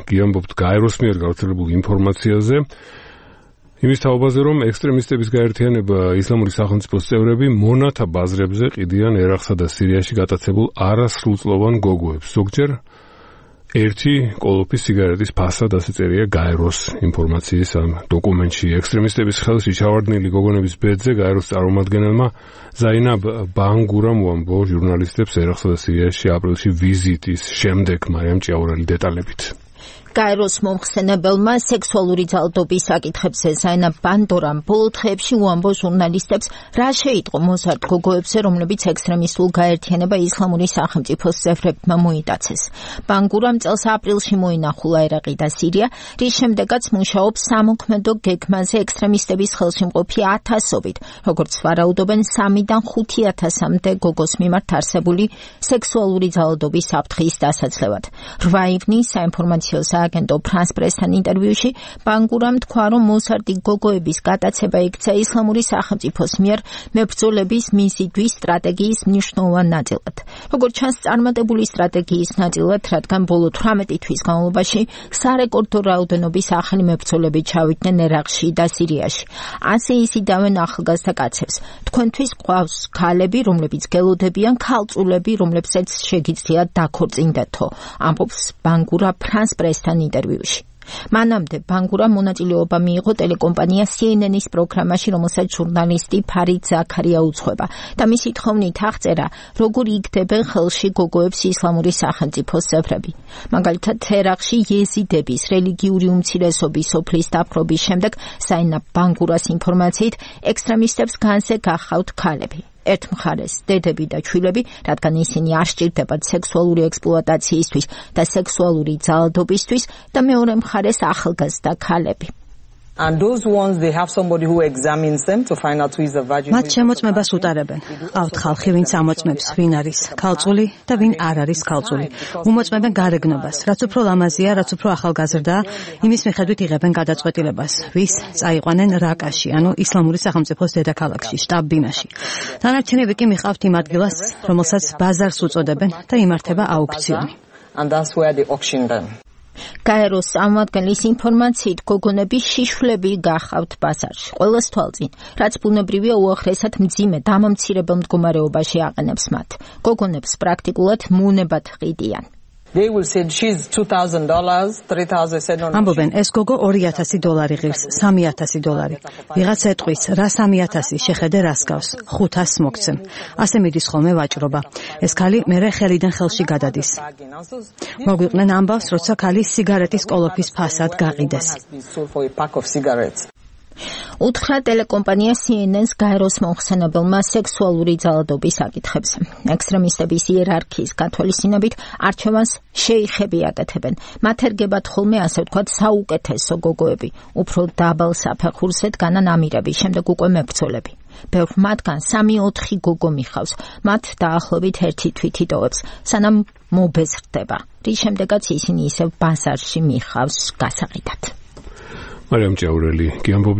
გიამბობთ გაეროს მიერ გავრცელებულ ინფორმაციაზე. იმის თაობაზე, რომ ექსტრემისტების გაერთიანება ისლამური სახელმწიფოს წევრები მონათა ბაზრებზე ყიდიან ერაყსა და სირიაში გატაცებულ არასრულწლოვან გოგოებს. ზოგჯერ ერთი კოლოფის სიგარეტის ფასად ასე წერია გაეროს ინფორმაციის ამ დოკუმენტში. ექსტრემისტების ხელში ჩავარდნილი გოგონების ბედზე გაეროს წარმომადგენელმა ზაინაბ ბანგურამ უამბო ჟურნალისტებს ერაყსა და სირიაში აპრილში ვიზიტის შემდეგ. მარიამ ჭიაურელი დეტალებით. გაეროს მომხსენებელმა სექსუალური ძალადობის საკითხებზე ზაინაბ ბანდორამ ბოლო დღეებში უამბო ჟურნალისტებს, რა შეიტყო მოზარდ გოგოებზე, რომლებიც ექსტრემისტულ გაერთიანება ისლამური სახელმწიფოს წევრებმა მოიტაცეს. ბანგურამ წელს აპრილში მოინახულა ერაყი და სირია, რის შემდეგაც მუშაობს სამოქმედო გეგმაზე ექსტრემისტების ხელში მყოფი ათასობით, როგორც ვარაუდობენ 3-დან 5,000-მდე გოგოს მიმართ არსებული სექსუალური ძალადობის საფრთხის დასაცლევად. 8 ივნის საინფორმაციო სააგენტო ფრანს პრესთან ინტერვიუში ბანგურამ თქვა, რომ მოზარდი გოგოების გატაცება იქცა ისლამური სახელმწიფოს მიერ მებრძოლების მიზიდვის სტრატეგიის მნიშვნელოვან ნაწილად. როგორც ჩანს, წარმატებული სტრატეგიის ნაწილად, რადგან ბოლო 18 თვის განმავლობაში სარეკორდო რაოდენობის ახალი მებრძოლები ჩავიდნენ ერაყში და სირიაში. ასე იზიდავენ ახალგაზრდა კაცებს. თქვენთვის ყავს ქალები, რომლებიც გელოდებიან, ქალწულები, რომლებსაც შეგიძლიათ დაქორწინდეთო, ამბობს ბანგურა ფრანს პრესთან ინტერვიუში. მანამდე ბანგურამ მონაწილეობა მიიღო ტელეკომპანია CNN-ის პროგრამაში, რომელსაც ჟურნალისტი ფარიდ ზაქარია უძღვება და მისი თხოვნით აღწერა, როგორ იგდებენ ხელში გოგოებს ისლამური სახელმწიფოს წევრები. მაგალითად, ერაყში იეზიდების რელიგიური უმცირესობის სოფლის დაპყრობის შემდეგ ზაინაბ ბანგურას ინფორმაციით ექსტრემისტებს განზე გახავთ ქალები. ერთ მხარეს დედები და ჩვილები, რადგან ისინი არ სჭირდებათ სექსუალური ექსპლუატაციისთვის და სექსუალური ძალადობისთვის და მეორე მხარეს ახალგაზრდა ქალები. And those ones, they have somebody who examines them to find out who is the virgin. მათ შემოწმებას უტარებენ. ყავთ ხალხი, ვინც ამოწმებს, ვინ არის ქალწული და ვინ არ არის ქალწული. უმოწმებენ გარეგნობას, რაც უფრო ლამაზია, რაც უფრო ახალგაზრდაა, იმის მიხედვით იღებენ გადაწყვეტილებას, ვის წაიყვანენ რაკაში, ანუ ისლამური სახელმწიფოს დედაქალაქში, შტაბ-ბინაში. დანარჩენები კი მიყავთ იმ ადგილას, რომელსაც ბაზარს უწოდებენ და იმართება აუქციონი. And that's where they auction them. გაეროს წარმომადგენლის ინფორმაციით გოგონები შიშვლები გახავთ ბაზარში. ყველას თვალწინ, რაც ბუნებრივია უახლესად მძიმე დამამცირებელ მდგომარეობაში აყენებს მათ. გოგონებს პრაქტიკულად მონებად ყიდიან. They will say she's $2,000, $3,700. ამბობენ, ეს გოგო $2,000 ღირს, $3,000. ვიღაც ეტყვის, რა 3,000 შეხედე რას გავს, 500 მოგცემ. ასე მიდის ხოლმე ვაჭრობა. ეს ქალი მერე ხელიდან ხელში გადადის. მოგვიყვნენ ამბავს, როცა ქალი სიგარეტის კოლოფის ფასად გაყიდეს. უთხრა ტელეკომპანია CNN-ს გაეროს მომხსენებელმა სექსუალური ძალადობის საკითხებზე. ექსტრემისტების იერარქიის გათვალისწინებით არჩევანს შეიხები აკეთებენ. მათ ერგებათ ხოლმე, ასე ვთქვათ, საუკეთესო გოგოები, უფრო დაბალ საფეხურზე დგანან ამირები, შემდეგ უკვე მებრძოლები. ბევრ მათგან 3-4 გოგო მიხავს, მათ დაახლოებით 1 თვით იტოვებს, სანამ მობეზრდება, რის შემდეგაც ისინი ისევ ბაზარში მიხავს გასაყიდად. მარიამ ჭიაურელი, გიამბობ